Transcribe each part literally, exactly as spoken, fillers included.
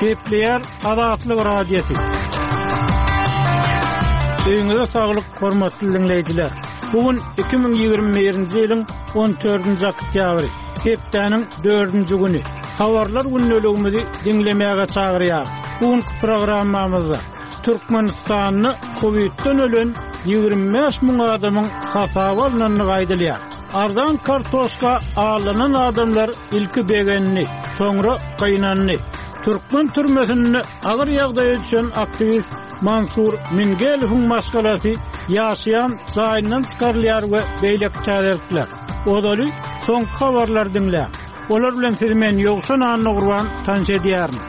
Gepleýär Azatlyk Radiosy. Öýüňize saglyk, hormatly diňleýjiler. Bu gün iki müň ýigrimi birinji ýylyň on dördünji oktýabry, hepdäniň dördünji güni. Habarlar gündeligimizi diňlemäge çagyrýar. Bu günki programmamyzda Türkmenistanda Covid'den ölen ýigrimi bäş müň adamyň hasaba alnandygy aýdylýar. Arzan kartoşka alynan adamlar ilki begendi, soňra gynandy. Türkmen türmesinde agyr ýagdaýa düşen aktiwist Mansur Mingelowyň maşgalasy ýaşaýan jaýyndan çykarylýar we beýleki täzelikler. Ozaly soňky habarlary diňläň. Olar bilen sizi men Ýowşan Annagurban tanyş edýärin.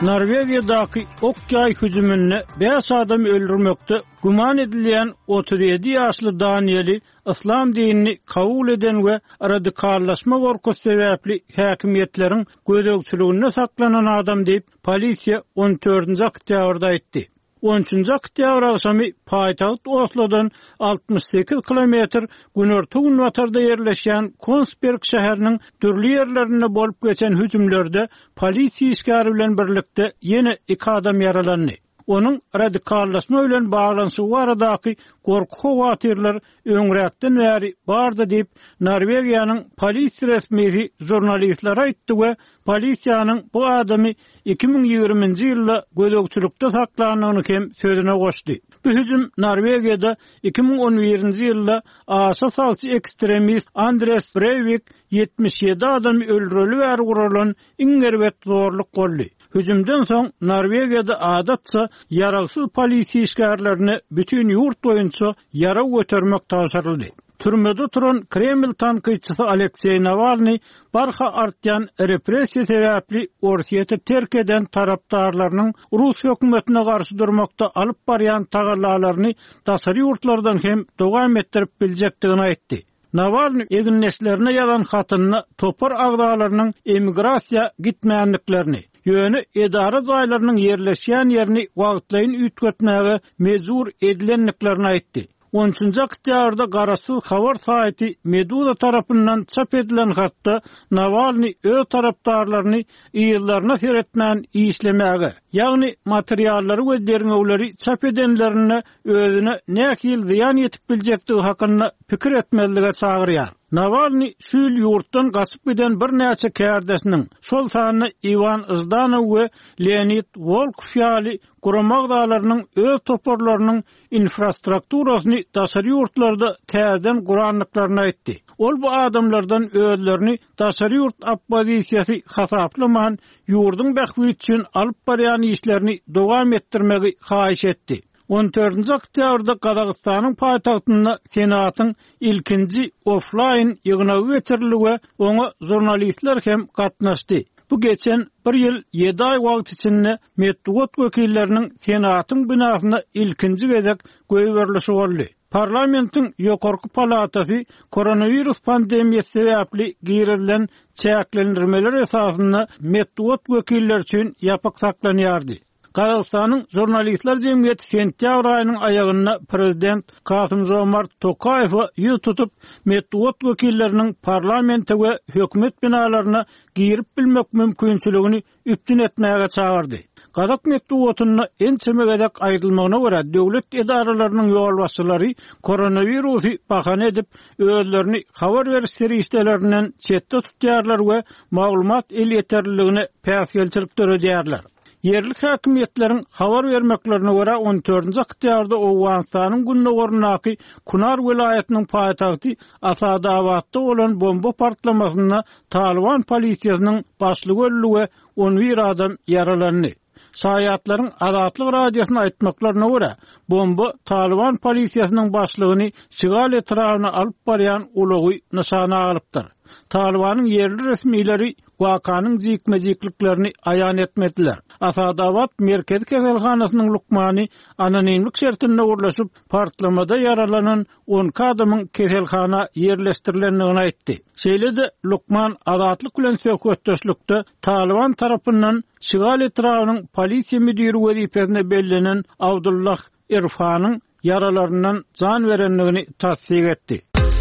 Norwegiýadaky ok-ýaý hüjüminde bäş adam öldürmekde güman edilýän otuz ýedi ýaşly Danieli Yslam dinini kabul eden we radikallaşma gorkusy sebäpli häkimiýetleriň gözegçiliginde saklanan adam diýip polisiýa on dördünji oktýabrda aýtdy. On üçünji oktýabr agşamy paýtagt Oslodan altmyş sekiz kilometr günorta-günbatarda ýerleşýän Konsberg şäheriniň dürli ýerlerinde bolup geçen hüjümlerde polisiýa işgäri bilen birlikde ýene iki adam ýaralandy. Onuň radikallaşma bilen baglanyşygy baradaky gorky howatyrlar öňräkden bäri bardy diýip Norwegiýanyň polisiýa resmisi žurnalistlere aýtdy we polisiýanyň bu adamy iki müň ýigriminji ýylda gözegçilikde saklandygyny hem sözüne goşdy. Bu hüjüm Norwegiýada iki müň on birinji ýylda aşa sagçy ekstremist Andres Breivik ýetmiş ýedi adamy öldüreli bäri guralan iň erbet zorluk boldy. Hüjümden soň Norwegiýada adatça ýaragsyz polisiýa işgärlerine bütün ýurt boýunça ýarag götermek tabşyryldy. Türmede oturan Kreml tankytçysy Alekseý Nawalny barha artýan repressiýa sebäpli Orsýeti terk eden tarapdarlarynyň Rus hökümetine garşy durmakda alyp barýan tagallalaryny daşary ýurtlardan hem dowam etdirip biljekdigini aýtdy. Nawalny egindeşlerine ýazan hatynda topar agzalarynyň emigrasiýa gitmänliklerini, ýöne edara jaýlarynyň ýerleşýän ýerini wagtlaýyn üýtgetmäge mejbur edilendiklerini aýtdy. On üçünji oktýabrda garaşsyz habar saýty Meduza tarapyndan çap edilen hatda Nawalny öz tarapdarlaryny ýyllaryna seretmän işlemäge, ýagny materiallary we derňewleri çap edenlerine özüne nähili zyýan ýetip biljekdigi hakynda pikir etmezlige çagyrýar. Nawalny şu ýyl ýurtdan gaçyp giden birnäçe kärdeşiniň, şol sanda Iwan Ždanow we Leonid Wolkow ýaly gurama agzalarynyň öz toparlarynyň infrastrukturasyny daşary ýurtlarda täzeden gurandyklaryny aýtdy. Ol bu adamlardan özlerini daşary ýurt oppozisiýasy hasaplaman, ýurduň bähbidi üçin alyp barýan işlerini dowam etdirmegi haýyş etdi. On dördünji oktýabrda Gazagystanyň paýtagtynda Senatyň ilkinji offline ýygnagy geçirildi we oňa žurnalistler hem gatnaşdy. Bu geçen bir ýyl ýedi aý wagt içinde metbugat wekilleriniň Senatyň binasyna ilkinji gezek goýberilişi boldy. Parlamentiň ýokarky palatasy koronawirus pandemiýasy sebäpli girizilen çäklendirmeler esasynda metbugat wekilleri üçin ýapyk saklanýardy. Gazagystanyň žurnalistler jemgyýeti sentýabr aýynyň aýagynda prezident Kasym-Žomart Tokaýewe ýüz tutup, metbugat wekilleriniň parlamente we hökümet binalaryna girip bilmek mümkinçiligini üpjün etmäge çagyrdy. Gazak metbugatynda ençeme gezek aýdylmagyna görä döwlet edaralarynyň ýolbaşçylary koronawirusy bahana edip, özlerini habar beriş serişdelerinden çetde tutýarlar we maglumat elýeterliligine päsgelçilik döredýärler. Ýerli häkimiýetleriň habar bermeklerine görä on dördünji oktýabrda Owganystanyň gündogaryndaky Kunar welaýatynyň paýtagty Asadabatda bolan bomba partlamasynda Taliban polisiýasynyň başlygy öldi we on bir adam ýaralandy. Şaýatlaryň Azatlyk radiosyna aýtmaklaryna görä, bomba Taliban polisiýasynyň başlygyny Şigal etrabyna alyp barýan ulagy nyşana alypdyr. Talibanyň ýerli resmileri wakanyň jikme-jikliklerini aýan etmediler. Asadabat merkezi keselhanasynyň lukmany anonimlik şertinde gurlaşyp, partlamada ýaralanan on iki adamyň keselhana ýerleşdirilendigini aýtdy. Şeýle-de lukman Azatlyk bilen söhbetdeşlikde Taliban tarapyndan Şigal etrabynyň polisiýa müdiri wezipesine bellenen Abdullah Irfanyň ýaralaryndan jan berendigini tasdik etdi.